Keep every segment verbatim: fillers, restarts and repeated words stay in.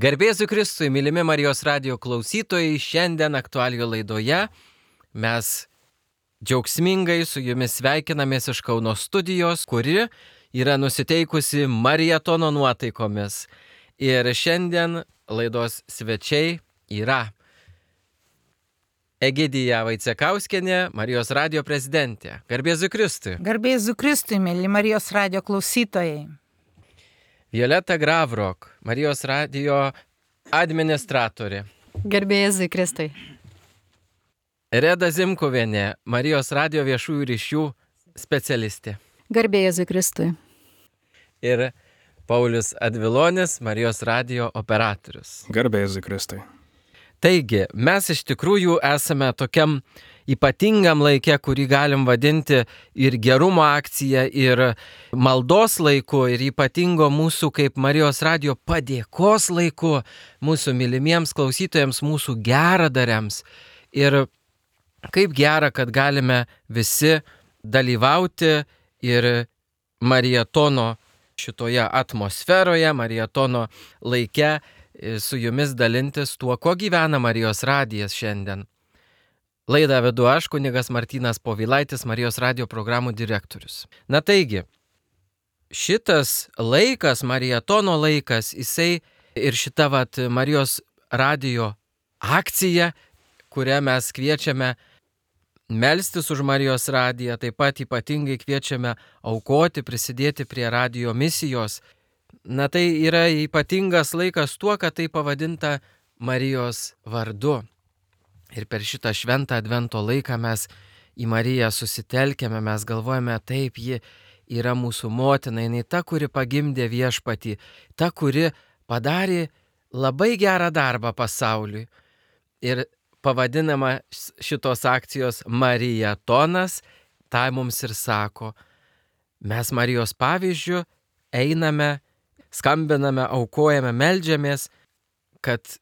Garbėsiu Kristui, mylimi Marijos radijo klausytojai, šiandien aktualijų laidoje mes džiaugsmingai su jumis sveikinamės iš Kauno studijos, kuri yra nusiteikusi marietono nuotaikomis. Ir šiandien laidos svečiai yra Egidija Vaicekauskienė, Marijos radijo prezidentė. Garbėsiu Kristui. Garbėsiu Kristui, mėly Marijos radijo klausytojai. Violeta Gravrok, Marijos radijo administratorė. Garbėsiu Kristui. Reda Zimkuvienė, Marijos radijo viešųjų ryšių specialistė. Garbėsiu Kristui. Ir Paulius Advilonis, Marijos radijo operatorius. Garbėsiu Kristui. Taigi, mes iš tikrųjų esame tokiam ypatingam laike, kurį galim vadinti ir gerumo akcija, ir maldos laiku, ir ypatingo mūsų kaip Marijos radijo padėkos laiku, mūsų mylimiems klausytojams, mūsų geradariams. Ir kaip gera, kad galime visi dalyvauti ir marietono šitoje atmosferoje, marietono laike, su jumis dalintis tuo, ko gyvena Marijos radijas šiandien. Laidą vedu aš, kunigas Martynas Povilaitis, Marijos radijo programų direktorius. Na taigi, šitas laikas, marietono laikas, jisai ir šita vat, Marijos radijo akcija, kurią mes kviečiame melstis už Marijos radiją, taip pat ypatingai kviečiame aukoti, prisidėti prie radijo misijos. Na tai yra ypatingas laikas tuo, kad tai pavadinta Marijos vardu. Ir per šitą šventą advento laiką mes į Mariją susitelkėme, mes galvojame, taip, ji yra mūsų motina, jinai ta, kuri pagimdė viešpatį, ta, kuri padarė labai gerą darbą pasauliui. Ir pavadinama šitos akcijos Marietonas, tai mums ir sako, mes Marijos pavyzdžiu einame, skambiname, aukojame, meldžiamės, kad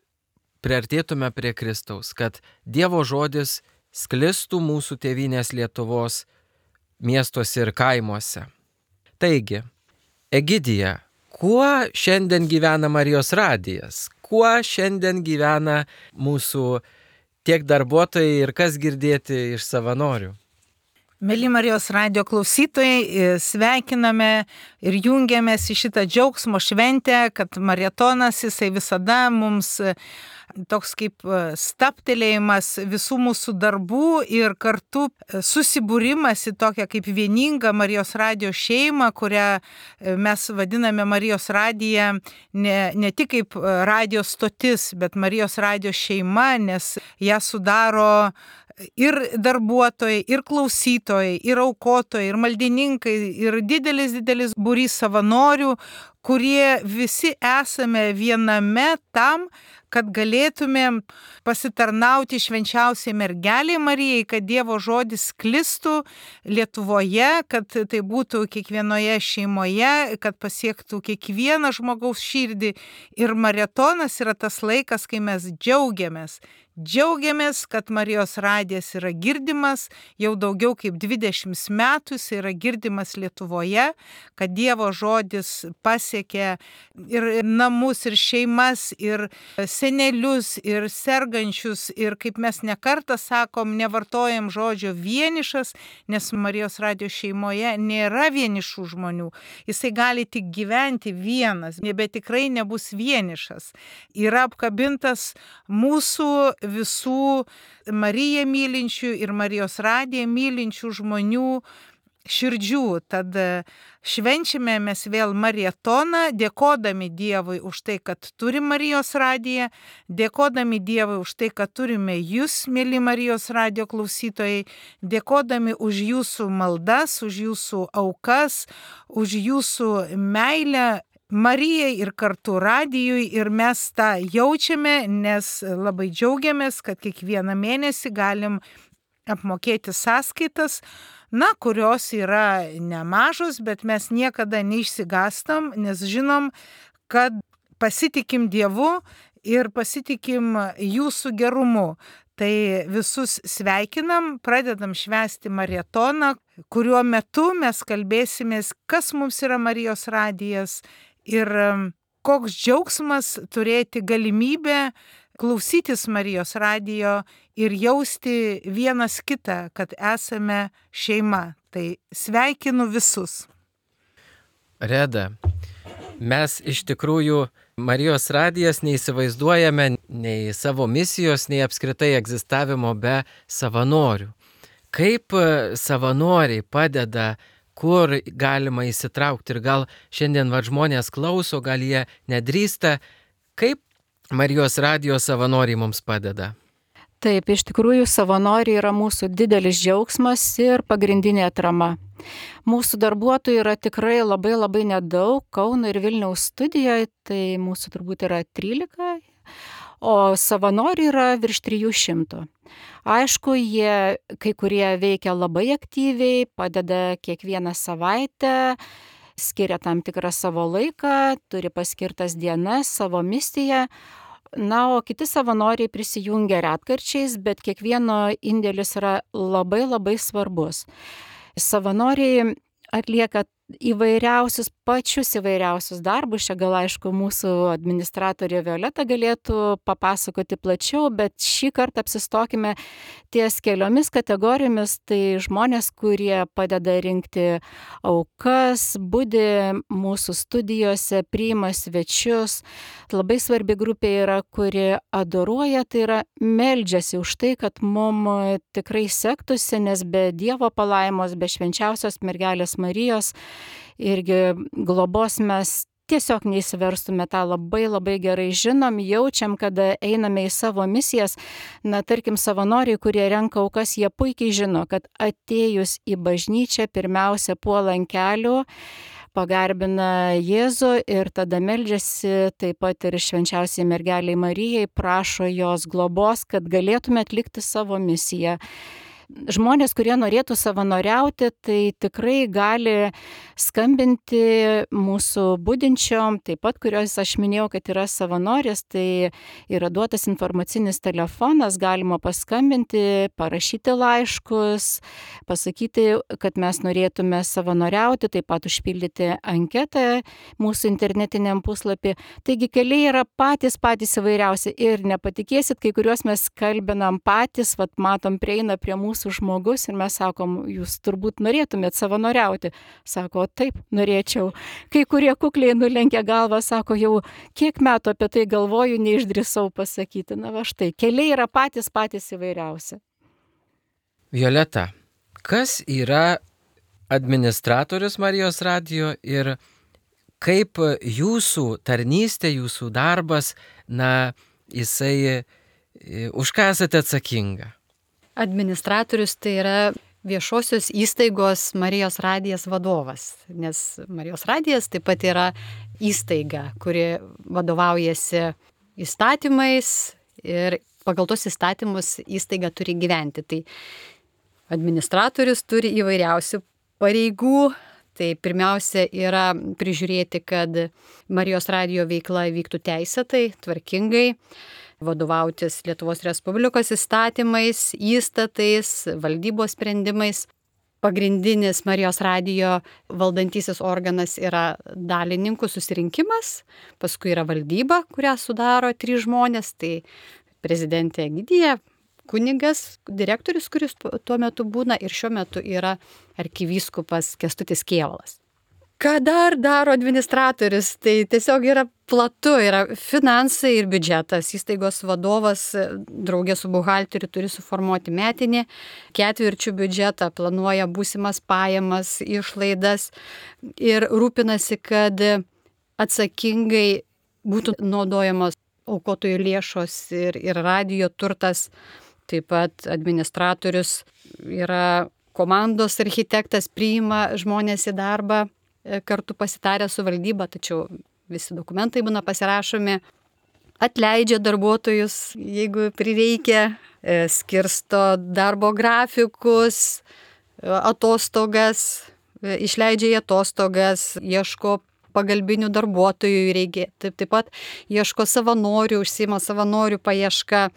priartėtume prie Kristaus, kad Dievo žodis sklistų mūsų tėvynės Lietuvos miestuose ir kaimuose. Taigi, Egidija, kuo šiandien gyvena Marijos radijas? Kuo šiandien gyvena mūsų tiek darbuotojai ir kas girdėti iš savanorių? Mėly Marijos radijo klausytojai, sveikiname ir jungiamės į šitą džiaugsmo šventę, kad marietonas jisai visada mums toks kaip stabtelėjimas visų mūsų darbų ir kartu susibūrimas į tokią kaip vieningą Marijos radijo šeimą, kurią mes vadiname Marijos radiją ne, ne tik kaip radijo stotis, bet Marijos radijo šeima, nes ją sudaro ir darbuotojai, ir klausytojai, ir aukotojai, ir maldininkai, ir didelis, didelis būrys savanorių, kurie visi esame viename tam, kad galėtumėm pasitarnauti švenčiausiai mergeliai Marijai, kad Dievo žodis sklistų Lietuvoje, kad tai būtų kiekvienoje šeimoje, kad pasiektų kiekvieną žmogaus širdį. Ir marietonas yra tas laikas, kai mes džiaugiamės. Džiaugiamės, kad Marijos radijas yra girdimas, jau daugiau kaip dvidešimt metų jis yra girdimas Lietuvoje, kad Dievo žodis pasiekė ir namus, ir šeimas, ir senelius, ir sergančius, ir kaip mes nekartą sakom, nevartojam žodžio vienišas, nes Marijos radijo šeimoje nėra vienišų žmonių. Jisai gali tik gyventi vienas, bet tikrai nebus vienišas. Yra apkabintas mūsų visų Mariją mylinčių ir Marijos radiją mylinčių žmonių širdžių. Tad švenčiame mes vėl marietoną, dėkodami Dievui už tai, kad turime Marijos radiją, dėkodami Dievui už tai, kad turime jūs, mėly Marijos radijo klausytojai, dėkodami už jūsų maldas, už jūsų aukas, už jūsų meilę Marijai ir kartu radijui, ir mes tą jaučiame, nes labai džiaugiamės, kad kiekvieną mėnesį galim apmokėti sąskaitas, na, kurios yra nemažos, bet mes niekada neišsigastam, nes žinom, kad pasitikim Dievu ir pasitikim jūsų gerumu. Tai visus sveikinam, pradedam švęsti marietoną, kuriuo metu mes kalbėsimės, kas mums yra Marijos radijas ir koks džiaugsmas turėti galimybę klausytis Marijos radijo ir jausti vienas kitą, kad esame šeima. Tai sveikinu visus. Reda, mes iš tikrųjų Marijos radijas neįsivaizduojame nei savo misijos, nei apskritai egzistavimo be savanorių. Kaip savanoriai padeda, kur galima įsitraukti ir gal šiandien va, žmonės klauso, gal jie nedrįsta, kaip Marijos radijo savanoriai mums padeda? Taip, iš tikrųjų savanoriai yra mūsų didelis džiaugsmas ir pagrindinė atrama. Mūsų darbuotojų yra tikrai labai labai nedaug, Kauno ir Vilniaus studijoje, tai mūsų turbūt yra trylika, o savanorių yra virš trijų šimtų. Aišku, jie kai kurie veikia labai aktyviai, padeda kiekvieną savaitę, skiria tam tikrą savo laiką, turi paskirtas dienas, savo misiją. Na, o kiti savanoriai prisijungia retkarčiais, bet kiekvieno indėlis yra labai labai svarbus. Savanoriai atlieka įvairiausius, pačius įvairiausius darbus. Čia gal aišku mūsų administratorė Violeta galėtų papasakoti plačiau, bet šį kartą apsistokime ties keliomis kategorijomis. Tai žmonės, kurie padeda rinkti aukas, budi mūsų studijose, priima svečius. Labai svarbi grupė yra, kuri adoruoja, tai yra meldžiasi už tai, kad mums tikrai sektųsi, nes be Dievo palaimos, be švenčiausios mergelės Marijos irgi globos mes tiesiog neįsiverstume, tą labai labai gerai žinom, jaučiam, kada einame į savo misijas. Na, tarkim, savanoriai, kurie renka aukas, jie puikiai žino, kad atėjus į bažnyčią pirmiausia puola ant kelių, pagarbina Jėzų ir tada meldžiasi taip pat ir švenčiausiai mergeliai Marijai, prašo jos globos, kad galėtume atlikti savo misiją. Žmonės, kurie norėtų savanoriauti, tai tikrai gali skambinti mūsų budinčiom, taip pat kurios aš minėjau, kad yra savanorės, tai yra duotas informacinis telefonas, galima paskambinti, parašyti laiškus, pasakyti, kad mes norėtume savanoriauti, taip pat užpildyti anketą mūsų internetiniam puslapį. Taigi keliai yra patys patys įvairiausi ir nepatikėsit, kai kuriuos mes kalbinam patys, vat matom, prieina prie mūsų žmogus ir mes sakom, jūs turbūt norėtumėt savanoriauti. Sako, taip, norėčiau. Kai kurie kukliai nulenkia galvą, sako, jau kiek metų apie tai galvoju, neišdrįsau pasakyti. Na va štai, keliai yra patys patys įvairiausi. Violeta, kas yra administratorius Marijos radijo ir kaip jūsų tarnystė, jūsų darbas, na, jisai, už ką esate atsakinga? Administratorius tai yra viešosios įstaigos Marijos radijas vadovas, nes Marijos radijas taip pat yra įstaiga, kuri vadovaujasi įstatymais ir pagal tos įstatymus įstaiga turi gyventi. Tai administratorius turi įvairiausių pareigų. Tai pirmiausia yra prižiūrėti, kad Marijos radijo veikla vyktų teisėtai, tvarkingai, vadovautis Lietuvos Respublikos įstatymais, įstatais, valdybos sprendimais. Pagrindinis Marijos radijo valdantysis organas yra dalininkų susirinkimas, paskui yra valdyba, kurią sudaro trys žmonės, tai prezidentė Egidija, kunigas, direktorius, kuris tuo metu būna ir šiuo metu yra arkivyskupas Kęstutis Kėvalas. Ką dar daro administratorius? Tai tiesiog yra platu, yra finansai ir biudžetas. Įstaigos vadovas draugė su buhalteriu turi suformuoti metinį ketvirčių biudžetą, planuoja būsimas pajamas, išlaidas ir rūpinasi, kad atsakingai būtų naudojamos aukotojų lėšos ir, ir radijo turtas. Taip pat administratorius yra komandos architektas, priima žmonės į darbą, kartu pasitarę su valdyba, tačiau visi dokumentai būna pasirašomi, atleidžia darbuotojus, jeigu prireikia, skirsto darbo grafikus, atostogas, išleidžia į atostogas, ieško pagalbinių darbuotojų, reikia, taip, taip pat ieško savanorių, užsiima savanorių paieška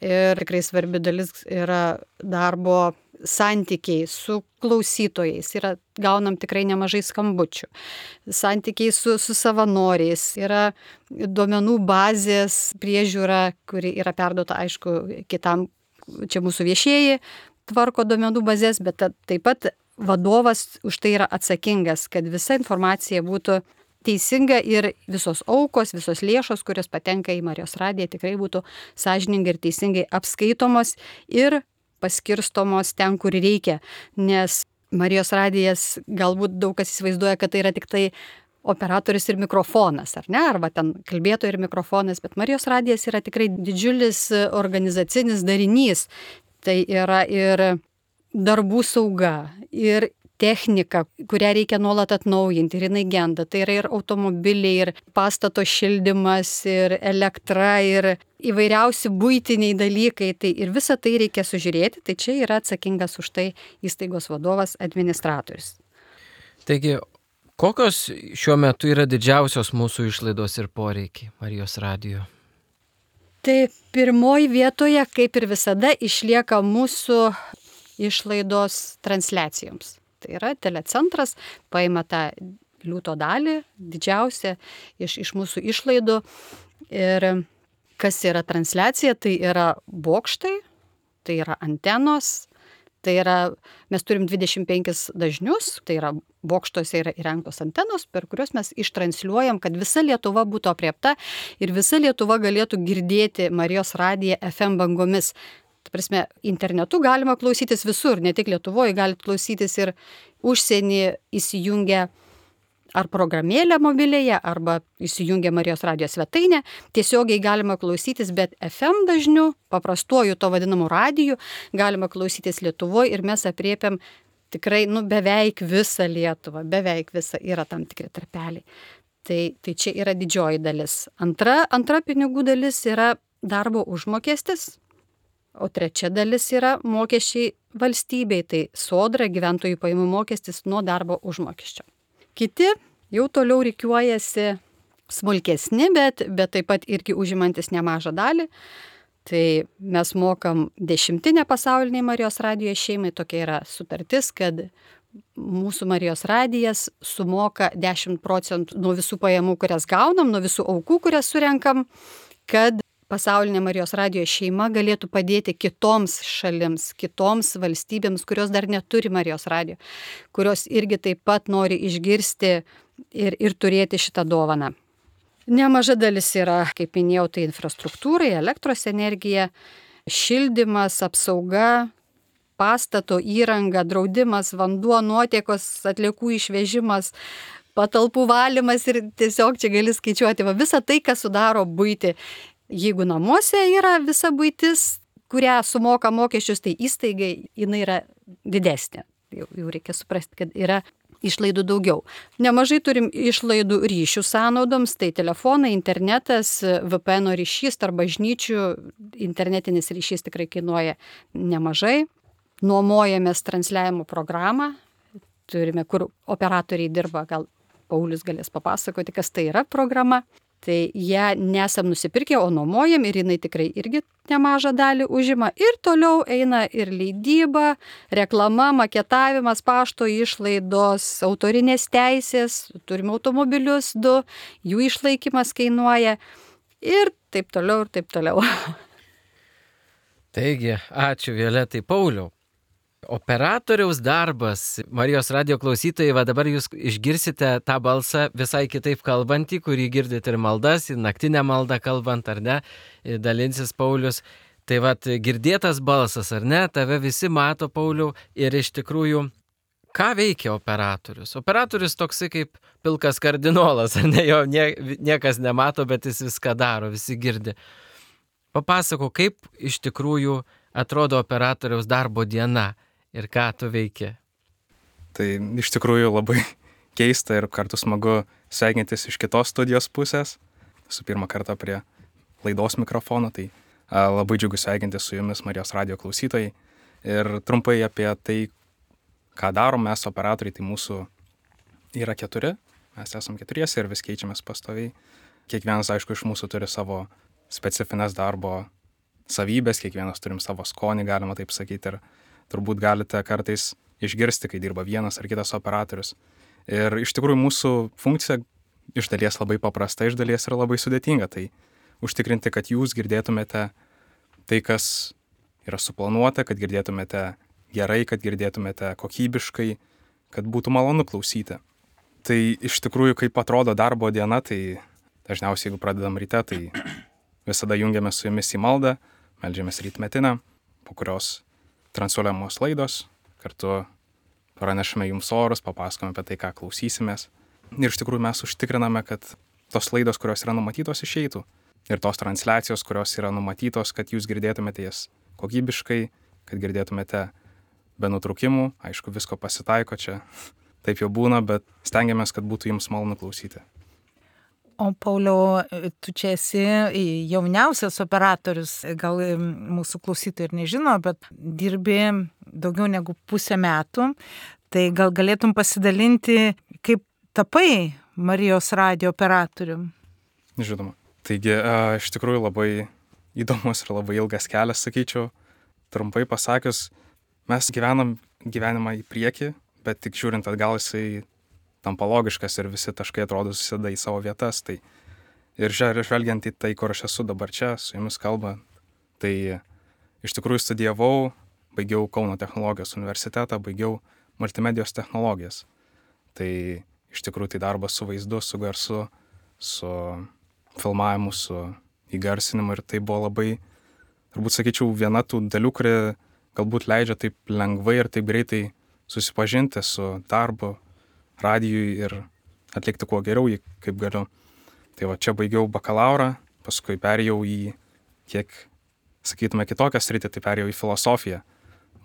ir tikrai svarbi dalis yra darbo santykiai su klausytojais, yra, gaunam tikrai nemažai skambučių, santykiai su, su savanoriais, yra duomenų bazės priežiūra, kuri yra perduota, aišku, kitam, čia mūsų viešieji tvarko duomenų bazės, bet taip pat vadovas už tai yra atsakingas, kad visa informacija būtų teisinga ir visos aukos, visos lėšos, kurios patenka į Marijos radiją, tikrai būtų sąžiningai ir teisingai apskaitomos ir paskirstomos ten, kur reikia. Nes Marijos radijas, galbūt daug kas įsivaizduoja, kad tai yra tik tai operatorius ir mikrofonas, ar ne, arba ten kalbėtojo ir mikrofonas, bet Marijos radijas yra tikrai didžiulis organizacinis darinys. Tai yra ir darbų sauga, ir technika, kurią reikia nuolat atnaujinti, ir jinai genda. Tai yra ir automobiliai, ir pastato šildymas, ir elektra, ir įvairiausi buitiniai dalykai. Tai ir visą tai reikia sužiūrėti. Tai čia yra atsakingas už tai įstaigos vadovas, administratorius. Taigi, kokios šiuo metu yra didžiausios mūsų išlaidos ir poreikiai Marijos radijo? Tai pirmoji vietoje, kaip ir visada, išlieka mūsų išlaidos transliacijoms. Tai yra telecentras, paima tą liūto dalį, didžiausią iš, iš mūsų išlaidų. Ir kas yra transliacija, tai yra bokštai, tai yra antenos, tai yra, mes turim dvidešimt penkis dažnius, tai yra bokštuose yra įrengtos antenos, per kurios mes ištransliuojam, kad visa Lietuva būtų apriepta ir visa Lietuva galėtų girdėti Marijos radiją F M bangomis. Ta prasme, internetu galima klausytis visur, ne tik Lietuvoje, galite klausytis ir užsienį įsijungę ar programėlę mobilėje, arba įsijungę Marijos radijos svetainę. Tiesiogiai galima klausytis, bet F M dažniu, paprastuoju to vadinamu radiju, galima klausytis Lietuvoje ir mes apriepiam tikrai nu, beveik visą Lietuvą, beveik visą, yra tam tikri tarpeliai. Tai, tai čia yra didžioji dalis. Antra, antra pinigų dalis yra darbo užmokestis. O trečia dalis yra mokesčiai valstybei, tai sodra, gyventojų pajamų mokestis nuo darbo užmokesčio. Kiti jau toliau rikiuojasi smulkesni, bet, bet taip pat irgi užimantis nemažą dalį. Tai mes mokam dešimtinę pasauliniai Marijos radijo šeimai, tokia yra sutartis, kad mūsų Marijos radijas sumoka dešimt procentų nuo visų pajamų, kurias gaunam, nuo visų aukų, kurias surenkam, kad pasaulinė Marijos radijo šeima galėtų padėti kitoms šalims, kitoms valstybėms, kurios dar neturi Marijos radijo, kurios irgi taip pat nori išgirsti ir, ir turėti šitą dovaną. Nemaža dalis yra, kaip minėjau, tai infrastruktūrai, elektros energija, šildymas, apsauga, pastato įranga, draudimas, vanduo, nuotekos, atliekų išvežimas, patalpų valymas ir tiesiog čia gali skaičiuoti va, visą tai, kas sudaro buitį. Jeigu namuose yra visa buitis, kurią sumoka mokesčius, tai įstaigai jinai yra didesnė. Jau, jau reikia suprasti, kad yra išlaidų daugiau. Nemažai turim išlaidų ryšių sąnaudoms, tai telefonai, internetas, V P N ryšys tarp bažnyčių, internetinis ryšys tikrai kainuoja nemažai. Nuomojamės transliavimo programą, turime, kur operatoriai dirba, gal Paulius galės papasakoti, kas tai yra programa. Tai ją nesam nusipirkę, o nuomojam ir jinai tikrai irgi nemažą dalį užima. Ir toliau eina ir leidyba, reklama, maketavimas, pašto išlaidos, autorinės teisės, turime automobilius du, jų išlaikymas kainuoja ir taip toliau ir taip toliau. Taigi, ačiū Violetai. Pauliau. Operatoriaus darbas, Marijos radijo klausytojai, va dabar jūs išgirsite tą balsą visai kitaip kalbantį, kurį girdite ir maldas, ir naktinę maldą kalbant, ar ne, dalinsis Paulius. Tai va, girdėtas balsas, ar ne, tave visi mato, Pauliau, ir iš tikrųjų, ką veikia operatorius? Operatorius toksai kaip pilkas kardinolas, ar ne, jo nie, niekas nemato, bet jis viską daro, visi girdi. Papasako, kaip iš tikrųjų atrodo operatoriaus darbo diena. Ir ką tu veiki? Tai iš tikrųjų labai keista ir kartu smagu sveikintis iš kitos studijos pusės. Su pirmą kartą prie laidos mikrofono, tai a, labai džiugu sveikintis su jumis Marijos radijo klausytojai. Ir trumpai apie tai, ką darom mes operatoriai, tai mūsų yra keturi. Mes esam keturiesi ir vis keičiamės pastoviai. Kiekvienas, aišku, iš mūsų turi savo specifines darbo savybės, kiekvienas turim savo skonį, galima taip sakyti. Ir turbūt galite kartais išgirsti, kai dirba vienas ar kitas operatorius. Ir iš tikrųjų mūsų funkcija iš dalies labai paprasta, iš dalies yra labai sudėtinga. Tai užtikrinti, kad jūs girdėtumėte tai, kas yra suplanuota, kad girdėtumėte gerai, kad girdėtumėte kokybiškai, kad būtų malonu klausyti. Tai iš tikrųjų, kaip atrodo darbo diena, tai dažniausiai, jeigu pradedam ryte, tai visada jungiame su jumis į maldą, meldžiamės rytmetinę, po kurios transliuojamos laidos, kartu pranešame jums orus, papasakome apie tai, ką klausysimės. Ir iš tikrųjų mes užtikriname, kad tos laidos, kurios yra numatytos, išeitų. Ir tos transliacijos, kurios yra numatytos, kad jūs girdėtumėte jas kokybiškai, kad girdėtumėte be nutrūkimų. Aišku, visko pasitaiko čia, taip jau būna, bet stengiamės, kad būtų jums malonu klausyti. O Pauliau, tu čia esi jauniausias operatorius, gal mūsų klausytojai ir nežino, bet dirbi daugiau negu pusę metų. Tai gal galėtum pasidalinti, kaip tapai Marijos radijo operatorium? Žinoma. Taigi, iš tikrųjų labai įdomus ir labai ilgas kelias, sakyčiau. Trumpai pasakius, mes gyvenam gyvenimą į priekį, bet tik žiūrint atgal jisai tampa logiškas ir visi taškai atrodo susideda į savo vietas. Tai ir žvelgiant į tai, kur aš esu dabar čia, su jumis kalba, tai iš tikrųjų studijavau, baigiau Kauno technologijos universitetą, baigiau multimedijos technologijas. Tai iš tikrųjų tai darbas su vaizdu, su garsu, su filmavimu, su įgarsinimu ir tai buvo labai, turbūt sakyčiau, viena tų dalių, kuri galbūt leidžia taip lengvai ir taip greitai susipažinti su darbu radijui ir atlikti kuo geriau jį, kaip galiu. Tai va, čia baigiau bakalaurą, paskui perėjau į kiek, sakytume, kitokią sritį, tai perėjau į filosofiją.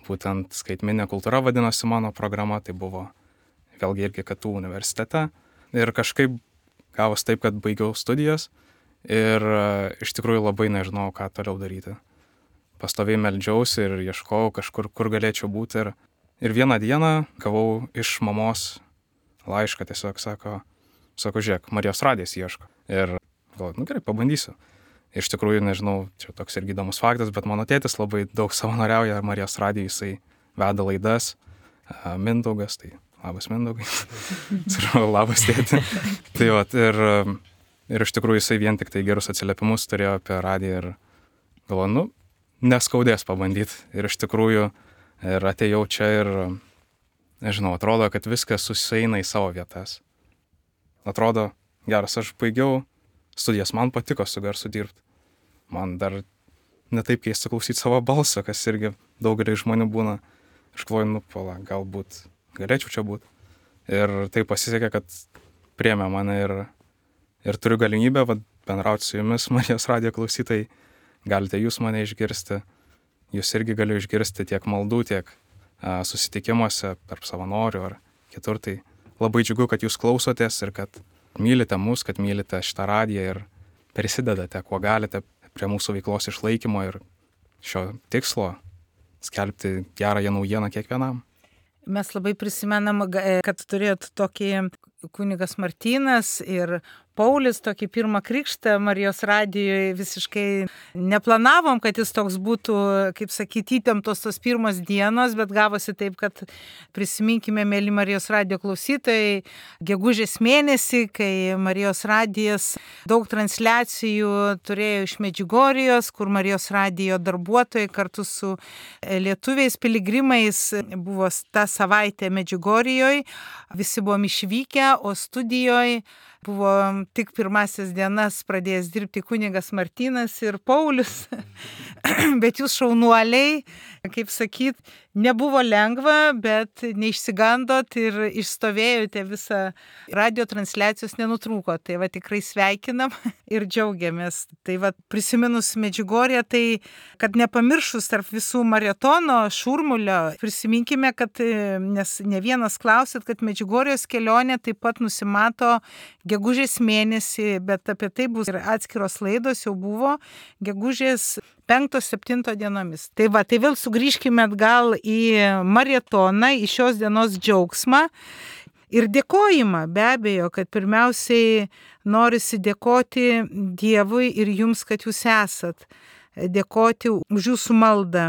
Būtent skaitmeninė kultūra vadinosi mano programa, tai buvo vėlgi irgi K T U universitete. Ir kažkaip gavos taip, kad baigiau studijas ir iš tikrųjų labai nežinau, ką toliau daryti. Pastoviai meldžiausi ir ieškojau kažkur, kur galėčiau būti. Ir, ir vieną dieną gavau iš mamos laišką, tiesiog sako, sako, žiūrėk, Marijos radijas ieško. Ir galvoju, nu gerai, pabandysiu. Iš tikrųjų, nežinau, čia toks irgi įdomus faktas, bet mano tėtis labai daug savanoriauja Marijos radijui, jisai veda laidas, Mindaugas, tai labas Mindaugai, labas tėti. Tai va, ir, ir iš tikrųjų jisai vien tik tai gerus atsiliepimus turėjo apie radiją ir galvoju, nu, neskaudės pabandyti. Ir iš tikrųjų ir atėjau čia ir, nežinau, atrodo, kad viskas susieina į savo vietas. Atrodo, geras, aš baigiau studijas, man patiko su garsu dirbti. Man dar ne taip keista klausyti savo balsą, kas irgi daugelį žmonių būna. Aš galvoju, nu, pala, galbūt galėčiau čia būti. Ir tai pasisekė, kad priėmė mane ir, ir turiu galimybę vat, bendrauti su jumis, Marijos radijo klausytojai. Galite jūs mane išgirsti. Jūs irgi galiu išgirsti tiek maldų, tiek a, susitikimuose tarp savanorių ar kitur. Tai labai džiugu, kad jūs klausotės ir kad mylite mus, kad mylite šitą radiją ir prisidedate, kuo galite prie mūsų veiklos išlaikymo ir šio tikslo skelbti gerąją naujieną kiekvienam. Mes labai prisimenam, kad turėjot tokį kunigas Martynas ir Paulius, tokį pirmą krikštą Marijos radijoje, visiškai neplanavom, kad jis toks būtų, kaip sakyti, įtemptos tos pirmos dienos, bet gavosi taip, kad prisiminkime, mėly Marijos radijo klausytojai, gegužės mėnesį, kai Marijos radijas daug transliacijų turėjo iš Medžiugorijos, kur Marijos radijo darbuotojai kartu su lietuviais piligrimais buvo tą savaitę Medžiugorijoje, visi buvom išvykę, o studijoje buvo tik pirmasis dienas pradėjęs dirbti kunigas Martynas ir Paulius, bet jūs šaunuoliai, kaip sakyt, nebuvo lengva, bet neišsigandot ir išstovėjote visą radio transliacijos nenutrūko. Tai va tikrai sveikinam ir džiaugiamės. Tai va prisiminus Medžiugorję, tai kad nepamiršus tarp visų maratono šurmulio, prisiminkime, kad nes ne vienas klausit, kad Medžiugorjos kelionė taip pat nusimato gegužės mėnesį, bet apie tai bus ir atskiros laidos jau buvo gegužės penkto septinto dienomis. Tai va, tai vėl sugrįžkime atgal į maratoną, į šios dienos džiaugsmą ir dėkojimą. Be abejo, kad pirmiausiai norisi dėkoti Dievui ir jums, kad jūs esat. Dėkoti už jūsų maldą,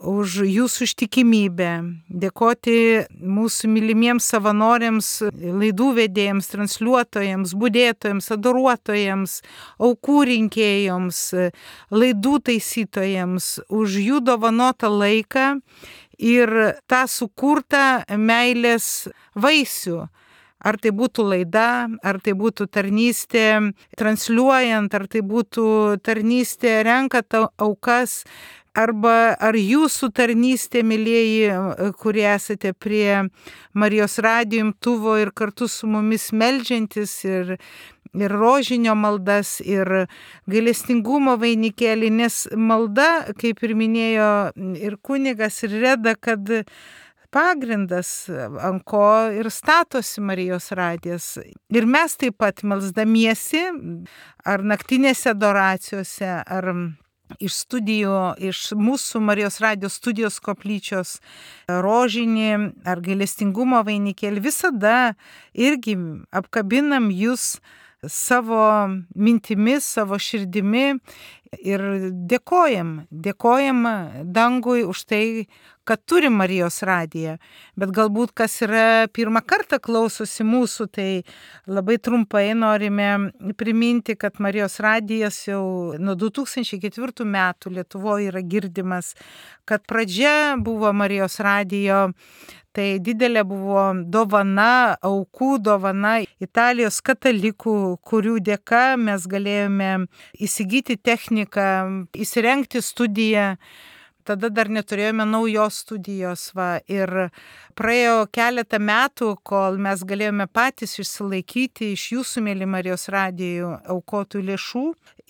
už jūsų ištikimybę, dėkoti mūsų mylimiems savanoriams, laidų vedėjams, transliuotojams, budėtojams, adoruotojams, aukų rinkėjams, laidų taisytojams, už jų dovanotą laiką ir tą sukurtą meilės vaisių. Ar tai būtų laida, ar tai būtų tarnystė transliuojant, ar tai būtų tarnystė renkant aukas, arba ar jūsų tarnystė, mylieji, kurie esate prie Marijos radijo imtuvo ir kartu su mumis meldžiantis ir, ir rožinio maldas, ir gailestingumo vainikėlį, nes malda, kaip ir minėjo ir kunigas, ir Reda, kad pagrindas, ant ko ir statosi Marijos radijas. Ir mes taip pat melsdamiesi, ar naktinėse adoracijose, ar iš studijų, iš mūsų Marijos radijos studijos koplyčios rožinį ar gailestingumo vainikėlį, visada irgi apkabinam jūs savo mintimis, savo širdimi ir dėkojam, dėkojam dangui už tai, kad turi Marijos radiją. Bet galbūt kas yra pirmą kartą klausosi mūsų, tai labai trumpai norime priminti, kad Marijos radijas jau nuo du tūkstančiai ketvirtų metų Lietuvoje yra girdimas, kad pradžia buvo Marijos radijo. Tai didelė buvo dovana, aukų dovana Italijos katalikų, kurių dėka mes galėjome įsigyti techniką, įsirengti studiją. Tada dar neturėjome naujos studijos. Va. Ir praėjo keletą metų, kol mes galėjome patys išsilaikyti iš jūsų, mėly Marijos radijų, aukotų lėšų.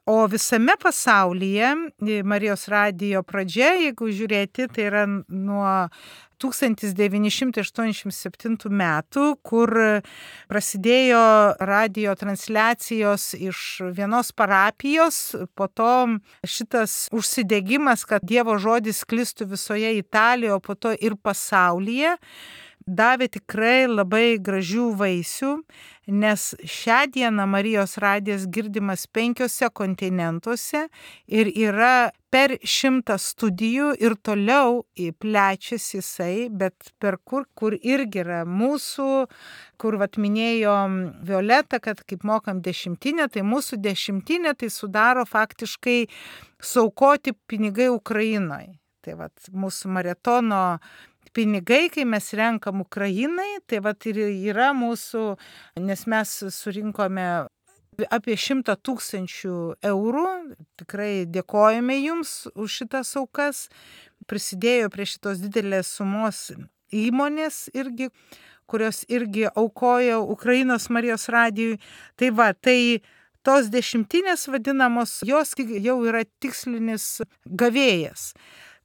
O visame pasaulyje Marijos radijo pradžia, jeigu žiūrėti, tai yra nuo tūkstantis devyni šimtai aštuoniasdešimt septintų metų, kur prasidėjo radijo transliacijos iš vienos parapijos, po to šitas užsidegimas, kad Dievo žodis sklistų visoje Italijoje, po to ir pasaulyje, davė tikrai labai gražių vaisių, nes šią dieną Marijos radijas girdimas penkiose kontinentuose ir yra per šimtą studijų ir toliau plečiasi jisai, bet per kur, kur irgi yra mūsų, kur vat minėjo Violeta, kad kaip mokam dešimtinę, tai mūsų dešimtinė tai sudaro faktiškai suaukoti pinigai Ukrainoje. Tai vat mūsų maratono pinigai, kai mes renkam Ukrainai, tai vat ir yra mūsų, nes mes surinkome apie šimtą tūkstančių eurų, tikrai dėkojame jums už šitas aukas, prisidėjo prie šitos didelės sumos įmonės irgi, kurios irgi aukojo Ukrainos Marijos radijui. Tai va, tai tos dešimtinės vadinamos, jos jau yra tikslinis gavėjas.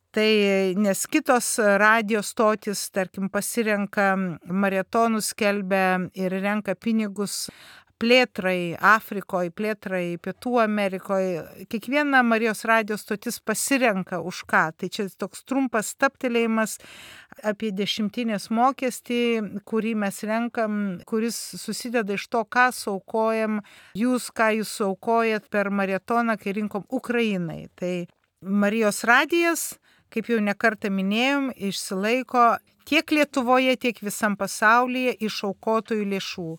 Tai nes kitos radijo stotis, tarkim, pasirenka maratonus, skelbia ir renka pinigus plėtrai Afrikoje, plėtrai Pietų Amerikoje. Kiekviena Marijos radijo stotis pasirenka už ką. Tai čia toks trumpas staptelėjimas apie dešimtinės mokestį, kurį mes renkam, kuris susideda iš to, ką suaukojam jūs, ką jūs suaukojat per maratoną, kai rinkom Ukrainai. Tai Marijos radijas, kaip jau nekartą minėjom, išsilaiko tiek Lietuvoje, tiek visam pasaulyje iš aukotojų lėšų.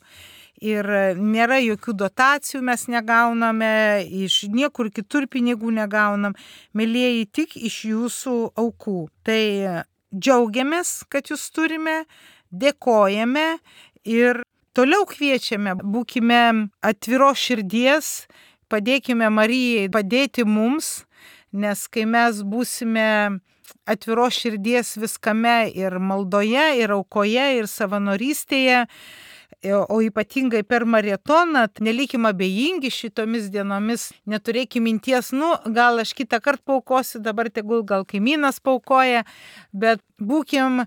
Ir nėra jokių dotacijų, mes negauname, iš niekur kitur pinigų negaunam, mėlieji, tik iš jūsų aukų. Tai džiaugiamės, kad jūs turime, dėkojame ir toliau kviečiame, būkime atviros širdies, padėkime Marijai padėti mums, nes kai mes būsime atviros širdies viskame ir maldoje, ir aukoje, ir savanorystėje, o ypatingai per maratoną, nelikim abejingi šitomis dienomis, neturėkim minties, nu, gal aš kitą kartą paukosiu, dabar tegul gal kaimynas paukoja, bet būkim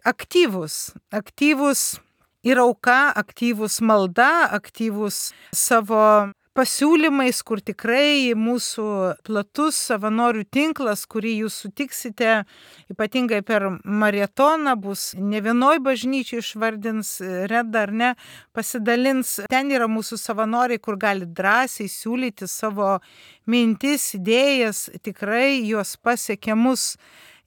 aktyvus, aktyvus ir auka, aktyvus malda, aktyvus savo pasiūlymais, kur tikrai mūsų platus savanorių tinklas, kurį jūs sutiksite, ypatingai per maratoną, bus ne vienoj bažnyčiai išvardins, Reda ar ne, pasidalins. Ten yra mūsų savanoriai, kur gali drąsiai siūlyti savo mintis, idėjas, tikrai juos pasiekia mus.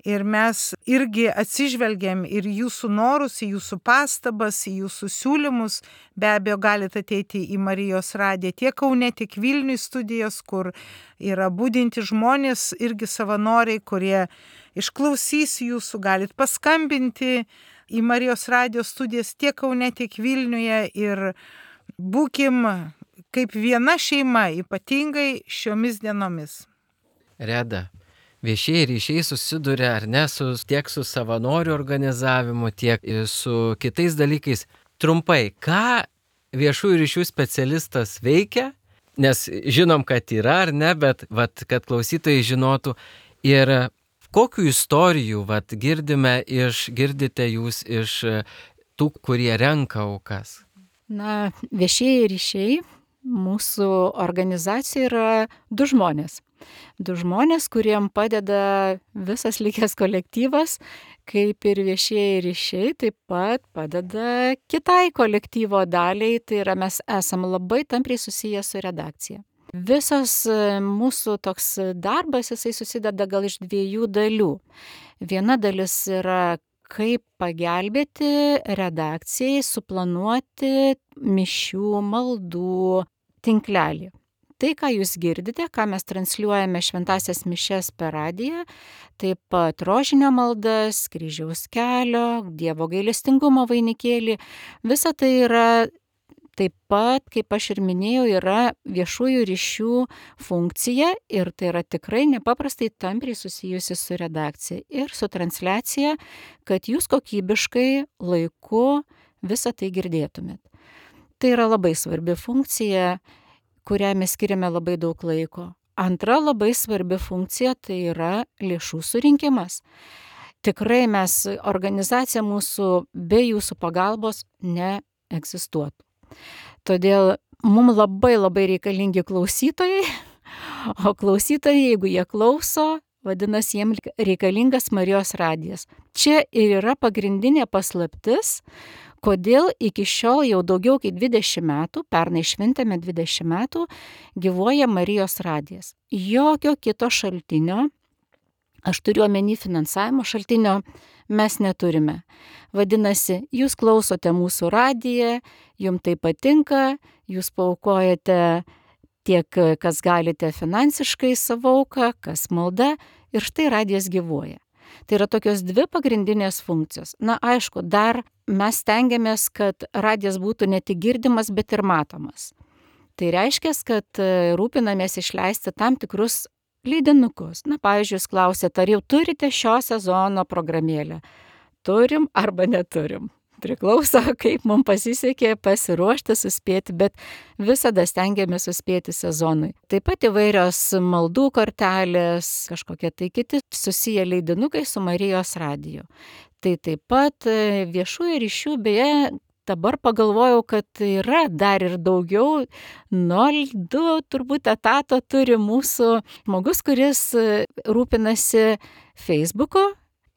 Ir mes irgi atsižvelgiam ir jūsų norus, į jūsų pastabas, į jūsų siūlymus. Be abejo, galite ateiti į Marijos radiją tiek Kaune, tiek Vilniuje studijos, kur yra budinti žmonės, irgi savanoriai, kurie išklausys jūsų, galit paskambinti į Marijos radijos studijas tiek Kaune, tiek Vilniuje ir būkim kaip viena šeima, ypatingai šiomis dienomis. Reda. Viešieji ryšiai susiduria ar ne su, tiek su savanorių organizavimu, tiek su kitais dalykais. Trumpai, ką viešųjų ryšių specialistas veikia, nes žinom, kad yra ar ne, bet vat, kad klausytojai žinotų ir kokių istorijų vat, girdime iš, girdite jūs iš tų, kurie renka aukas. Na, viešieji ryšiai mūsų organizacija yra du žmonės. Du žmonės, kuriem padeda visas likęs kolektyvas, kaip ir viešieji ryšiai, taip pat padeda kitai kolektyvo daliai, tai yra mes esam labai tampriai susiję su redakcija. Visas mūsų toks darbas, jisai susideda gal iš dviejų dalių. Viena dalis yra, kaip pagelbėti redakcijai suplanuoti mišių, maldų tinklelį. Tai, ką jūs girdite, ką mes transliuojame šventąsias mišias per radiją, taip pat rožinio maldas, kryžiaus kelio, Dievo gailestingumo vainikėlį, visa tai yra taip pat, kaip aš ir minėjau, yra viešųjų ryšių funkcija ir tai yra tikrai nepaprastai tampriai susijusi su redakcija ir su transliacija, kad jūs kokybiškai laiku visą tai girdėtumėt. Tai yra labai svarbi funkcija, kurią mes skiriame labai daug laiko. Antra labai svarbi funkcija tai yra lėšų surinkimas. Tikrai mes, organizacija mūsų be jūsų pagalbos neegzistuotų. Todėl mums labai labai reikalingi klausytojai, o klausytojai, jeigu jie klauso, vadinasi, jiems reikalingas Marijos radijas. Čia ir yra pagrindinė paslaptis, kodėl iki šiol jau daugiau kaip dvidešimt metų, pernai šventėme dvidešimt metų, gyvuoja Marijos radijas. Jokio kito šaltinio, aš turiu omeny finansavimo šaltinio, mes neturime. Vadinasi, jūs klausote mūsų radiją, jums tai patinka, jūs paaukojate tiek, kas galite finansiškai savo auką, kas malda, ir štai radijas gyvuoja. Tai yra tokios dvi pagrindinės funkcijos. Na, aišku, dar mes stengiamės, kad radijas būtų ne tik girdimas, bet ir matomas. Tai reiškia, kad rūpinamės išleisti tam tikrus leidinukus. Na, pavyzdžiui, jūs klausėte, ar jau turite šio sezono programėlę? Turim arba neturim. Priklauso, kaip mums pasisekė pasiruošti, suspėti, bet visada stengiamės suspėti sezonui. Taip pat įvairios maldų kortelės, kažkokie tai kiti susiję leidinukai su Marijos radiju. Tai taip pat viešųjų ryšių, beje, dabar pagalvojau, kad yra dar ir daugiau, nol du turbūt etato turi mūsų žmogus, kuris rūpinasi Facebooku,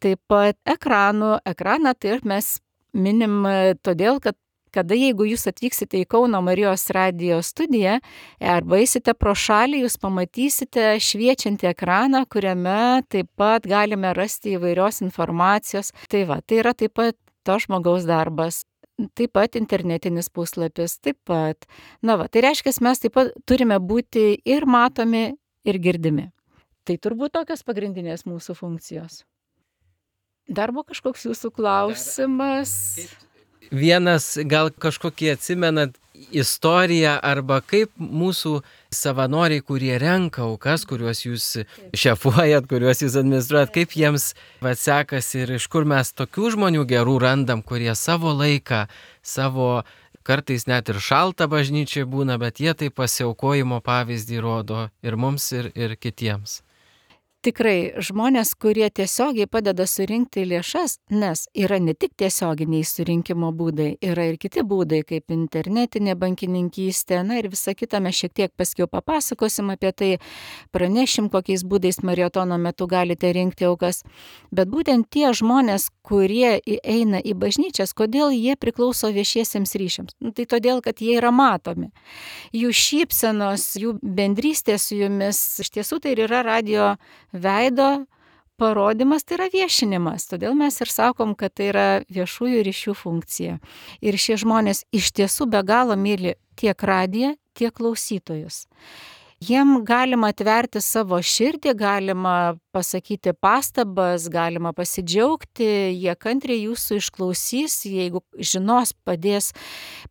taip pat ekranų, ekraną tai mes minim todėl, kad kada jeigu jūs atvyksite į Kauno Marijos radijo studiją arba eisite pro šalį, jūs pamatysite šviečiantį ekraną, kuriame taip pat galime rasti įvairios informacijos. Tai va, tai yra taip pat to žmogaus darbas. Taip pat internetinis puslapis, taip pat. Na va, tai reiškia, mes taip pat turime būti ir matomi, ir girdimi. Tai turbūt tokios pagrindinės mūsų funkcijos. Dar buvo kažkoks jūsų klausimas? Vienas, gal kažkokį atsimenat istoriją arba kaip mūsų savanoriai, kurie renka aukas, kuriuos jūs šefuojat, kuriuos jūs administruojat, kaip jiems sekasi ir iš kur mes tokių žmonių gerų randam, kurie savo laiką, savo kartais net ir šaltą bažnyčiai būna, bet jie tai pasiaukojimo pavyzdį rodo ir mums, ir, ir kitiems. Tikrai žmonės, kurie tiesiogiai padeda surinkti lėšas, nes yra ne tik tiesioginiai surinkimo būdai, yra ir kiti būdai, kaip internetinė bankininkystė, na ir visa kita, mes šiek tiek paskiau papasakosim apie tai, pranešim, kokiais būdais maratono metu galite rinkti aukas, bet būtent tie žmonės, kurie eina į bažnyčias, kodėl jie priklauso viešiesiems ryšiams? Nu, tai todėl, kad jie yra matomi. Jų šypsenos, jų bendrystė su jumis, iš tiesų tai yra radijo veido parodymas tai yra viešinimas, todėl mes ir sakom, kad tai yra viešųjų ryšių funkcija. Ir šie žmonės iš tiesų be galo myli tiek radiją, tiek klausytojus. Jiem galima atverti savo širdį, galima pasakyti pastabas, galima pasidžiaugti, jie kantriai jūsų išklausys, jeigu žinos, padės,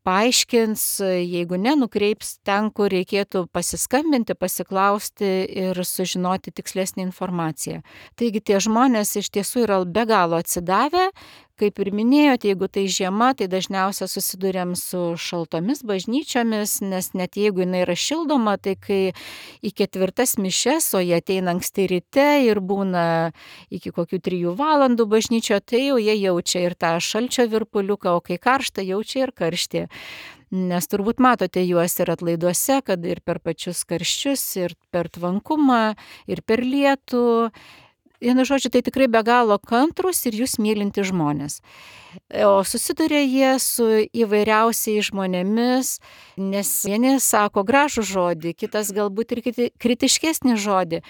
paaiškins, jeigu ne, nukreips ten, kur reikėtų pasiskambinti, pasiklausti ir sužinoti tikslesnį informaciją. Taigi tie žmonės iš tiesų yra be galo atsidavę. Kaip ir minėjote, jeigu tai žiema, tai dažniausiai susidurėm su šaltomis bažnyčiomis, nes net jeigu jinai yra šildoma, tai kai į ketvirtas mišias, o jie ateina anksti ryte ir būna iki kokių trijų valandų bažnyčio, tai jau jie jaučia ir tą šalčio virpuliuką, o kai karšta, jaučia ir karštį. Nes turbūt matote juos ir atlaiduose, kad ir per pačius karščius, ir per tvankumą, ir per lietų. Vienu žodžiu, tai tikrai be galo kantrus ir jūs mylinti žmonės. O susiduria jie su įvairiausiais žmonėmis, nes vieni sako gražų žodį, kitas galbūt ir kritiškesnį žodį,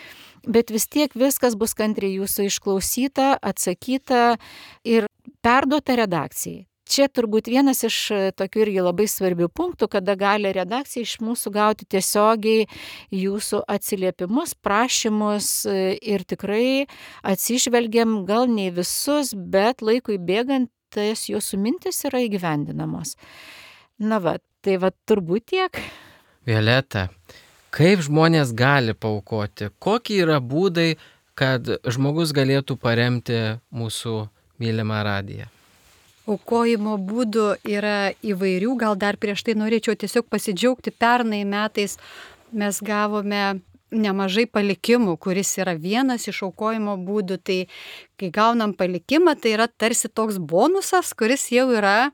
bet vis tiek viskas bus kantriai jūsų išklausyta, atsakyta ir perduota redakcijai. Čia turbūt vienas iš tokių irgi labai svarbių punktų, kada gali redakcija iš mūsų gauti tiesiogiai jūsų atsiliepimus, prašymus ir tikrai atsižvelgiam gal ne visus, bet laikui bėgant tas jūsų mintis yra įgyvendinamos. Na va, tai va turbūt tiek. Violeta, kaip žmonės gali paaukoti? Kokie yra būdai, kad žmogus galėtų paremti mūsų mylimą radiją? Aukojimo būdų yra įvairių, gal dar prieš tai norėčiau tiesiog pasidžiaugti, pernai metais mes gavome nemažai palikimų, kuris yra vienas iš aukojimo būdų, tai kai gaunam palikimą, tai yra tarsi toks bonusas, kuris jau yra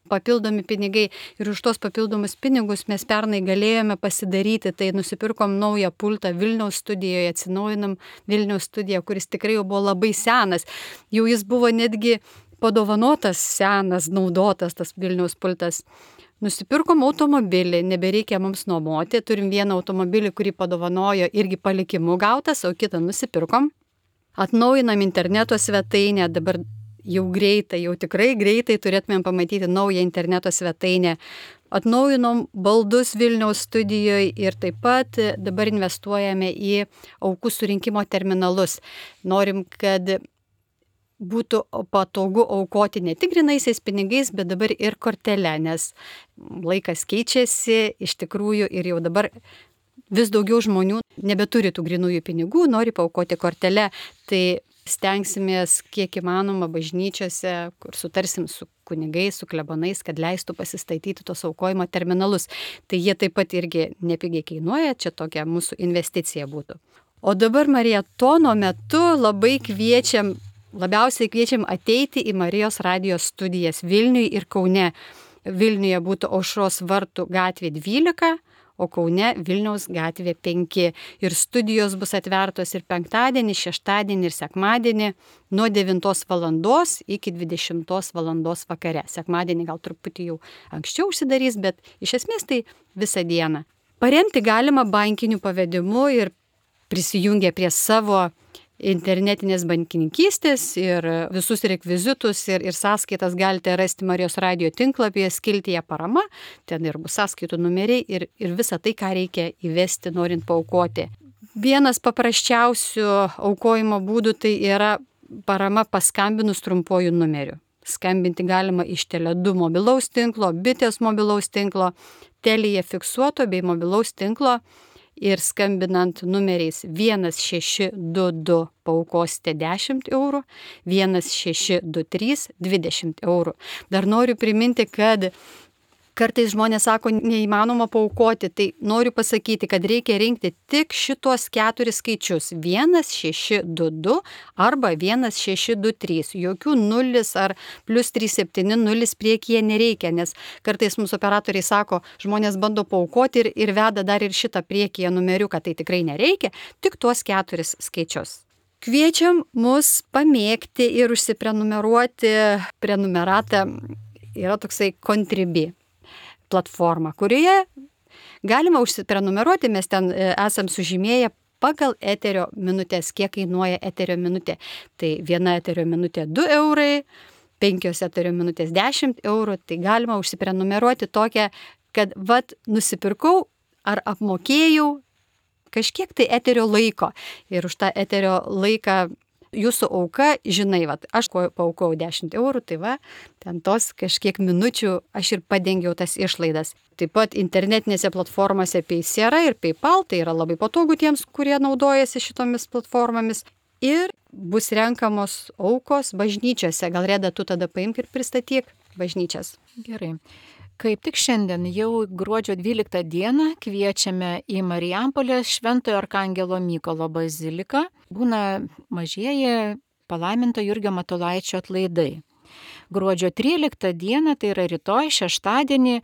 papildomi pinigai ir už tos papildomus pinigus mes pernai galėjome pasidaryti, tai nusipirkom naują pultą Vilniaus studijoje, atsinaujinam Vilniaus studiją, kuris tikrai jau buvo labai senas, jau jis buvo netgi padovanotas, senas, naudotas tas Vilniaus pultas. Nusipirkom automobilį, nebereikia mums nuomoti, turim vieną automobilį, kurį padovanojo irgi palikimu gautas, o kitą nusipirkom. Atnaujinam interneto svetainę, dabar jau greitai, jau tikrai greitai turėtumėm pamatyti naują interneto svetainę. Atnaujinom baldus Vilniaus studijoje ir taip pat dabar investuojame į aukų surinkimo terminalus. Norim, kad būtų patogu aukoti ne tik grinaisiais pinigais, bet dabar ir kortelę, nes laikas keičiasi iš tikrųjų ir jau dabar vis daugiau žmonių nebeturi tų grinųjų pinigų, nori paaukoti kortelę, tai stengsimės kiek įmanoma bažnyčiose, kur sutarsim su kunigais, su klebonais, kad leistų pasistatyti tos aukojimo terminalus. Tai jie taip pat irgi nepigiai kainuoja, čia tokia mūsų investicija būtų. O dabar marietono metu labai kviečiam Labiausiai kviečiam ateiti į Marijos radijos studijas Vilniuje ir Kaune. Vilniuje būtų Aušros vartų gatvė dvylika, o Kaune Vilniaus gatvė penki. Ir studijos bus atvertos ir penktadienį, šeštadienį ir sekmadienį nuo devintos valandos iki dvidešimtos valandos vakare. Sekmadienį gal truputį jau anksčiau užsidarys, bet iš esmės tai visą dieną. Paremti galima bankiniu pavedimu ir prisijungę prie savo internetinės bankininkystės ir visus rekvizitus ir, ir sąskaitas galite rasti Marijos radijo tinklapyje skiltyje parama, ten ir bus sąskaitų numeriai ir, ir visa tai, ką reikia įvesti, norint paaukoti. Vienas paprasčiausių aukojimo būdų tai yra parama paskambinus trumpuoju numeriu. Skambinti galima iš Tele du mobilaus tinklo, Bitės mobilaus tinklo, Telija fiksuoto bei mobilaus tinklo. Ir skambinant numeriais vienas šeši du du paaukosite dešimt eurų, vienas šeši du trys dvidešimt eurų. Dar noriu priminti, kad kartais žmonės sako, neįmanoma paaukoti, tai noriu pasakyti, kad reikia rinkti tik šitos keturis skaičius. vienas šeši du du arba vienas šeši du trys. Jokių nulis ar plus trys septyni nulis priekyje nereikia, nes kartais mūsų operatoriai sako, žmonės bando paaukoti ir, ir veda dar ir šitą priekyje numeriuką, tai tikrai nereikia, tik tuos keturis skaičius. Kviečiam mus pamėgti ir užsiprenumeruoti. Prenumeratą yra toksai Contribui platforma, kurioje galima užsiprenumeruoti, mes ten esam sužymėję pagal eterio minutės, kiek kainuoja eterio minutė. Tai viena eterio minutė du eurai, penkios eterio minutės dešimt eurų, tai galima užsiprenumeruoti tokią, kad vat nusipirkau ar apmokėjau kažkiek tai eterio laiko ir už tą eterio laiką jūsų auka, žinai, vat, aš paaukau dešimt eurų, tai va, ten tos kažkiek minučių aš ir padengiau tas išlaidas. Taip pat internetinėse platformose Paysera ir PayPal, tai yra labai patogu tiems, kurie naudojasi šitomis platformomis. Ir bus renkamos aukos bažnyčiose. Gal Reda, tu tada paimk ir pristatyk bažnyčias. Gerai. Kaip tik šiandien, jau gruodžio dvyliktą dieną, kviečiame į Marijampolės Šventojo Arkangelo Mykolo baziliką. Būna mažieji palaiminto Jurgio Matulaičio atlaidai. Gruodžio tryliktą dieną, tai yra rytoj, šeštadienį,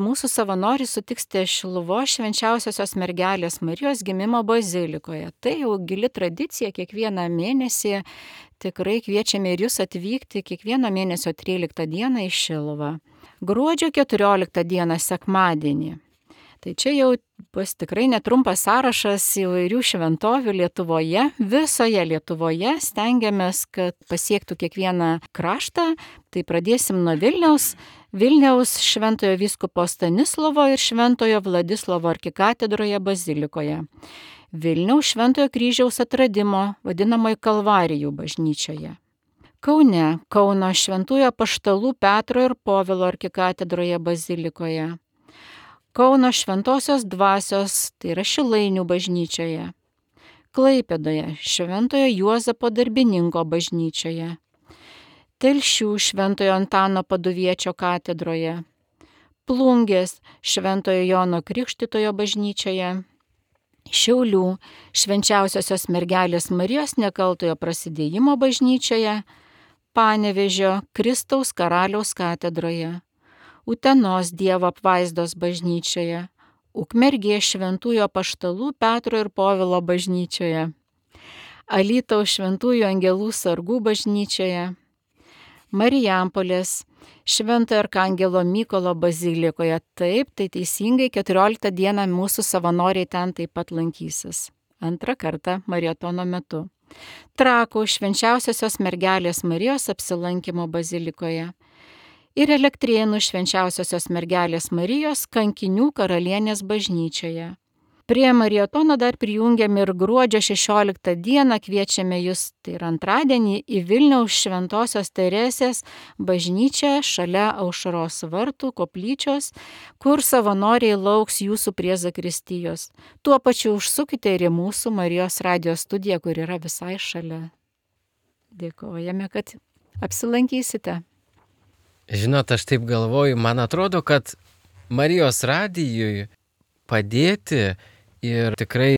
mūsų savanoriai sutiksite Šiluvos Švenčiausiosios Mergelės Marijos gimimo bazilikoje. Tai jau gili tradicija, kiekvieną mėnesį tikrai kviečiame ir jūs atvykti kiekvieno mėnesio tryliktą dieną į Šiluvą. Gruodžio keturioliktą dieną sekmadienį. Tai čia jau bus tikrai netrumpas sąrašas įvairių šventovių Lietuvoje. Visoje Lietuvoje stengiamės, kad pasiektų kiekvieną kraštą. Tai pradėsim nuo Vilniaus. Vilniaus Šventojo vyskupo Stanislovo ir Šventojo Vladislovo arkikatedroje bazilikoje. Vilniaus Šventojo kryžiaus atradimo, vadinamoje Kalvarijų bažnyčioje. Kaune, Kauno Šventųjų apaštalų Petro ir Povilo arkikatedroje bazilikoje. Kauno Šventosios dvasios, tai yra Šilainių bažnyčioje. Klaipėdoje, Šventojo Juozapo darbininko bažnyčioje. Telšių Šventojo Antano Paduviečio katedroje. Plungės Šventojo Jono Krikštytojo bažnyčioje. Šiaulių Švenčiausiosios Mergelės Marijos Nekaltojo Prasidėjimo bažnyčioje. Panevėžio Kristaus Karaliaus katedroje, Utenos Dievo apvaizdos bažnyčioje, Ukmergės Šventųjų apaštalų Petro ir Povilo bažnyčioje, Alytaus Šventųjų angelų sargų bažnyčioje, Marijampolės Šventojo Arkangelo Mykolo bazilikoje. Taip, tai teisingai, keturioliktą dieną mūsų savanoriai ten taip pat lankysis. Antrą kartą maratono metu. Trakų Švenčiausiosios Mergelės Marijos apsilankimo bazilikoje ir Elektrėnų Švenčiausiosios Mergelės Marijos kankinių karalienės bažnyčioje. Prie maratono dar prijungiame ir gruodžio šešioliktą dieną kviečiame jūs, tai yra antradienį, į Vilniaus Šventosios Teresės bažnyčią šalia Aušros vartų koplyčios, kur savanoriai lauks jūsų prie zakristijos. Tuo pačiu užsukite ir į mūsų Marijos radijo studiją, kur yra visai šalia. Dėkojame, kad apsilankysite. Žinot, aš taip galvoju, man atrodo, kad Marijos radijui padėti ir tikrai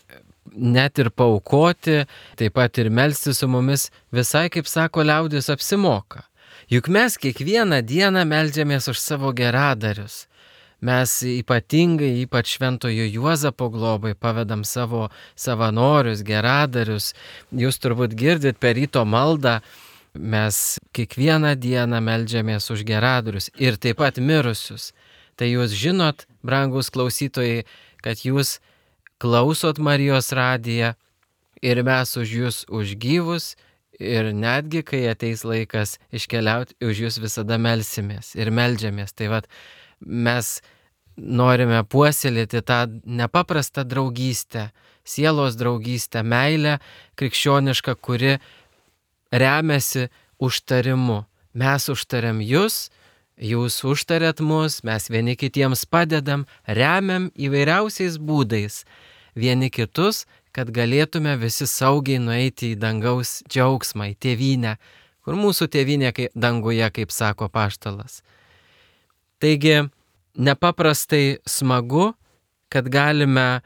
net ir paaukoti, taip pat ir melstis su mumis, visai, kaip sako liaudis, apsimoka. Juk mes kiekvieną dieną meldžiamės už savo geradarius. Mes ypatingai, ypač Šventojo Juozapo globai, pavedam savo savanorius, geradarius. Jūs turbūt girdit per ryto maldą, mes kiekvieną dieną meldžiamės už geradarius ir taip pat mirusius. Tai jūs žinot, brangus klausytojai, kad jūs klausot Marijos radiją ir mes už jūs, už gyvus, ir netgi, kai ateis laikas iškeliauti, už jūs visada melsimės ir meldžiamės. Tai vat, mes norime puoselėti tą nepaprastą draugystę, sielos draugystę, meilę krikščionišką, kuri remiasi užtarimu. Mes užtariam jūs, jūs užtarėt mus, mes vieni kitiems padedam, remiam įvairiausiais būdais vieni kitus, kad galėtume visi saugiai nueiti į dangaus džiaugsmą, į tėvynę, kur mūsų tėvynė kaip danguje, kaip sako apaštalas. Taigi, nepaprastai smagu, kad galime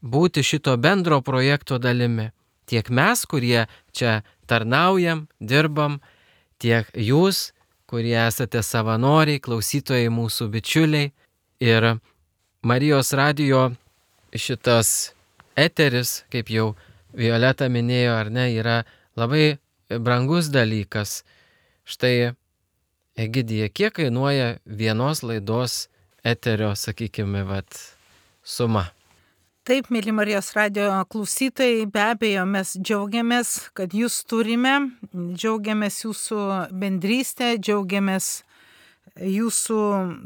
būti šito bendro projekto dalimi. Tiek mes, kurie čia tarnaujam, dirbam, tiek jūs, kurie esate savanoriai, klausytojai, mūsų bičiuliai. Ir Marijos radijo šitas eteris, kaip jau Violeta minėjo, ar ne, yra labai brangus dalykas. Štai, Egidija, kiek kainuoja vienos laidos eterio, sakykime, vat, suma? Taip, mėly Marijos radio klausytojai, be abejo, mes džiaugiamės, kad jūs turime, džiaugiamės jūsų bendrystę, džiaugiamės jūsų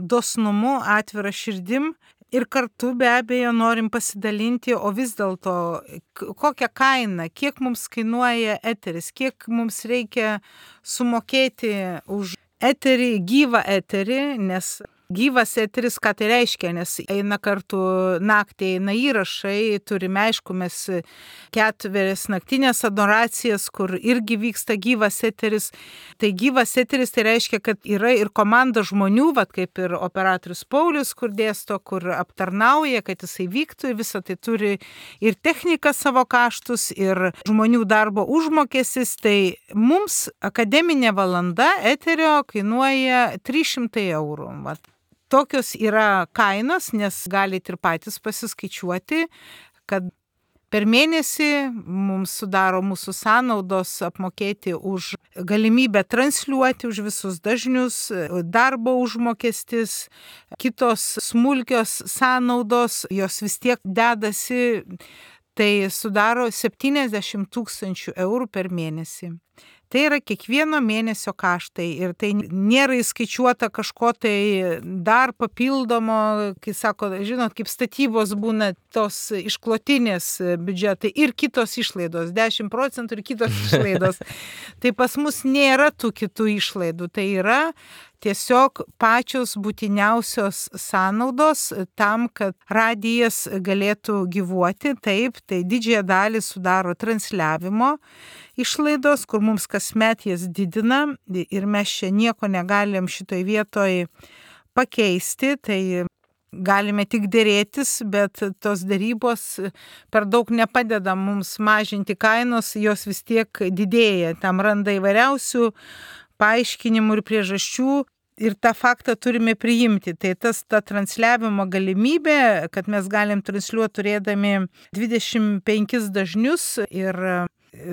dosnumu, atvira širdim ir kartu be abejo norim pasidalinti, o vis dėlto kokią kainą, kiek mums kainuoja eteris, kiek mums reikia sumokėti už eterį, gyvą eterį, nes gyvas eteris, ką tai reiškia, nes eina kartu naktį, eina įrašai, turime, aišku, mes ketverias naktinės adoracijas, kur irgi vyksta gyvas eteris. Tai gyvas eteris tai reiškia, kad yra ir komanda žmonių, vat kaip ir operatorius Paulius, kur dėsto, kur aptarnauja, kad jisai vyktų, visą tai turi ir technika savo kaštus, ir žmonių darbo užmokestis. Tai mums akademinė valanda eterio kainuoja trys šimtai eurų. Vat. Tokios yra kainos, nes galite ir patys pasiskaičiuoti, kad per mėnesį mums sudaro mūsų sąnaudos apmokėti už galimybę transliuoti, už visus dažnius, darbo užmokestis, kitos smulkios sąnaudos, jos vis tiek dedasi, tai sudaro septyniasdešimt tūkstančių eurų per mėnesį. Tai yra kiekvieno mėnesio kaštai ir tai nėra įskaičiuota kažko tai dar papildomo, kai sako, žinot, kaip statybos būna tos išklotinės biudžetai ir kitos išlaidos, dešimt procentų ir kitos išlaidos. Tai pas mus nėra tų kitų išlaidų, tai yra tiesiog pačios būtiniausios sąnaudos tam, kad radijas galėtų gyvuoti. Taip, tai didžiąją dalį sudaro transliavimo išlaidos, kur mums kasmet jas didina ir mes čia nieko negalim šitoj vietoj pakeisti, tai galime tik dėrėtis, bet tos darybos per daug nepadeda mums mažinti kainos, jos vis tiek didėja, tam randa įvairiausių paaiškinimų ir priežasčių. Ir tą faktą turime priimti. Tai tas ta transliavimo galimybė, kad mes galim transliuoti turėdami dvidešimt penkis dažnius ir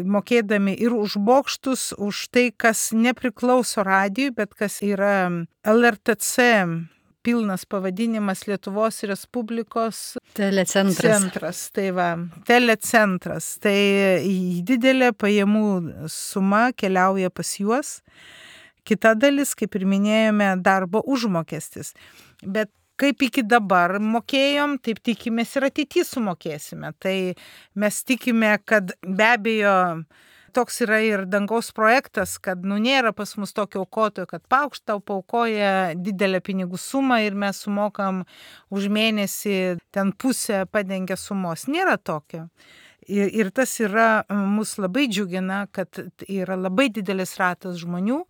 mokėdami ir už bokštus, už tai, kas nepriklauso radijui, bet kas yra L R T C, pilnas pavadinimas Lietuvos Respublikos telecentras. Centras, tai va, telecentras. Tai didelė pajamų suma keliauja pas juos. Kita dalis, kaip ir minėjome, darbo užmokestis. Bet kaip iki dabar mokėjom, taip tikimės ir ateityje sumokėsime. Tai mes tikime, kad be abejo toks yra ir dangaus projektas, kad nu nėra pas mus tokio aukotojo, kad paukšt tau paukoja didelę pinigų sumą ir mes sumokam už mėnesį ten pusę padengia sumos. Nėra tokio. Ir, ir tas yra, mus labai džiugina, kad yra labai didelis ratas žmonių,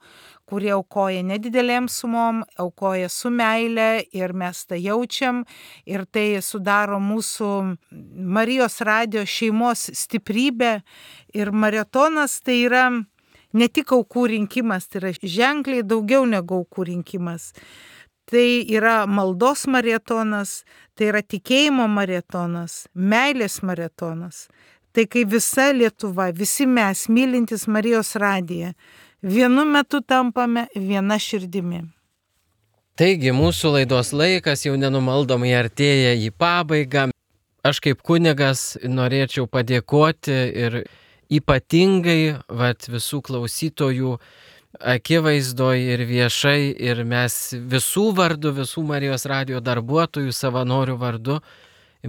kurie aukoja nedidelėm sumom, aukoja su meile ir mes tą jaučiam ir tai sudaro mūsų Marijos radio šeimos stiprybę ir maratonas tai yra ne tik aukų rinkimas, tai yra ženkliai daugiau negu aukų rinkimas. Tai yra maldos maratonas, tai yra tikėjimo maratonas, meilės maratonas. Tai kai visa Lietuva, visi mes, mylintys Marijos radiją, vienu metu tampame viena širdimi. Taigi, mūsų laidos laikas jau nenumaldomai artėja į pabaigą. Aš kaip kunigas norėčiau padėkoti ir ypatingai vat, visų klausytojų akivaizdoj ir viešai ir mes visų vardu, visų Marijos radio darbuotojų, savanorių vardu,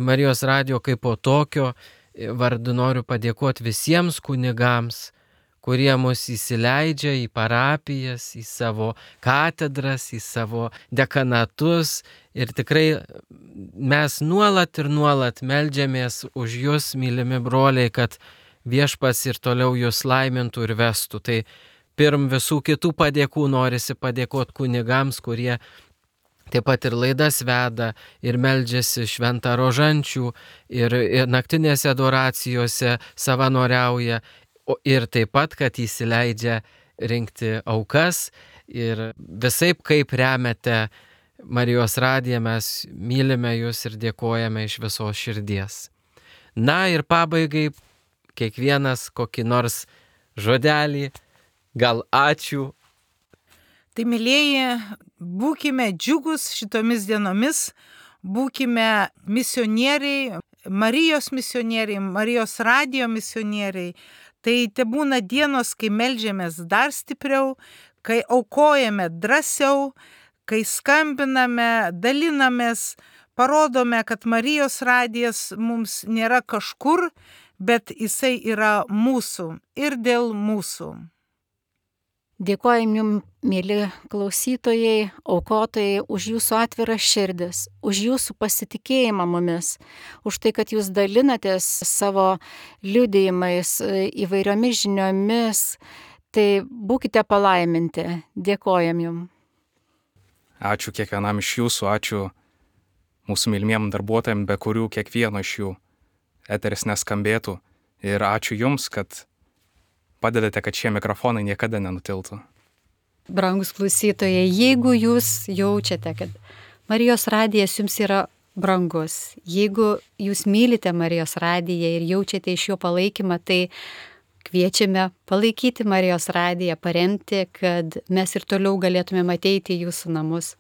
Marijos radio kaip po tokio vardu noriu padėkoti visiems kunigams, kurie mus įsileidžia į parapijas, į savo katedras, į savo dekanatus ir tikrai mes nuolat ir nuolat meldžiamės už jūs, mylimi broliai, kad viešpats ir toliau jūs laimintų ir vestų. Tai pirm visų kitų padėkų norisi padėkoti kunigams, kurie taip pat ir laidas veda ir meldžiasi šventą rožančių ir, ir naktinėse adoracijose savanoriauja ir taip pat, kad įsileidžia rinkti aukas ir visaip kaip remiate Marijos radiją, mes mylime jūs ir dėkojame iš visos širdies. Na ir pabaigai kiekvienas kokį nors žodelį, gal ačiū. Tai mylėjai, būkime džiugus šitomis dienomis, būkime misionieriai, Marijos misionieriai, Marijos radijo misionieriai. Tai te būna dienos, kai melžiamės dar stipriau, kai aukojame drąsiau, kai skambiname, dalinamės, parodome, kad Marijos radijas mums nėra kažkur, bet jisai yra mūsų ir dėl mūsų. Dėkojam jums, mėly klausytojai, aukotojai, už jūsų atviras širdis, už jūsų pasitikėjimą mumis, už tai, kad jūs dalinatės savo liudijimais, įvairiomis žiniomis. Tai būkite palaiminti. Dėkojam jums. Ačiū kiekvienam iš jūsų, ačiū mūsų mylimiem darbuotojams, be kurių kiekvieno iš jų eteris neskambėtų. Ir ačiū jums, kad padedate, kad šie mikrofonai niekada nenutiltų. Brangus klausytojai, jeigu jūs jaučiate, kad Marijos radijas jums yra brangus, jeigu jūs mylite Marijos radiją ir jaučiate iš jo palaikymą, tai kviečiame palaikyti Marijos radiją, paremti, kad mes ir toliau galėtume ateiti į jūsų namus.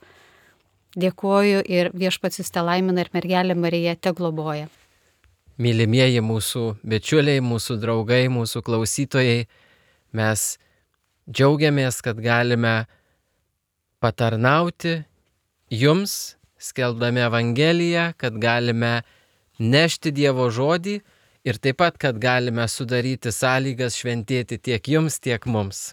Dėkuoju ir Viešpats jus telaimina ir mergelė Marija tegloboja. Mylimieji mūsų bičiuliai, mūsų draugai, mūsų klausytojai, mes džiaugiamės, kad galime patarnauti jums, skelbdami Evangeliją, kad galime nešti Dievo žodį ir taip pat, kad galime sudaryti sąlygas šventėti tiek jums, tiek mums.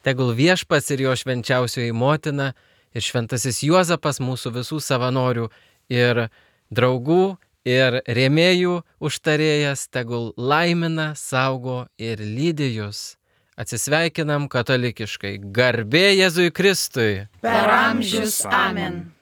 Tegul Viešpats ir jo švenčiausioji motina ir šventasis Juozapas, mūsų visų savanorių ir draugų ir rėmėjų užtarėjas, tegul laimina, saugo ir lydi jus. Atsisveikinam katalikiškai. Garbė Jėzui Kristui. Per amžius. Amen.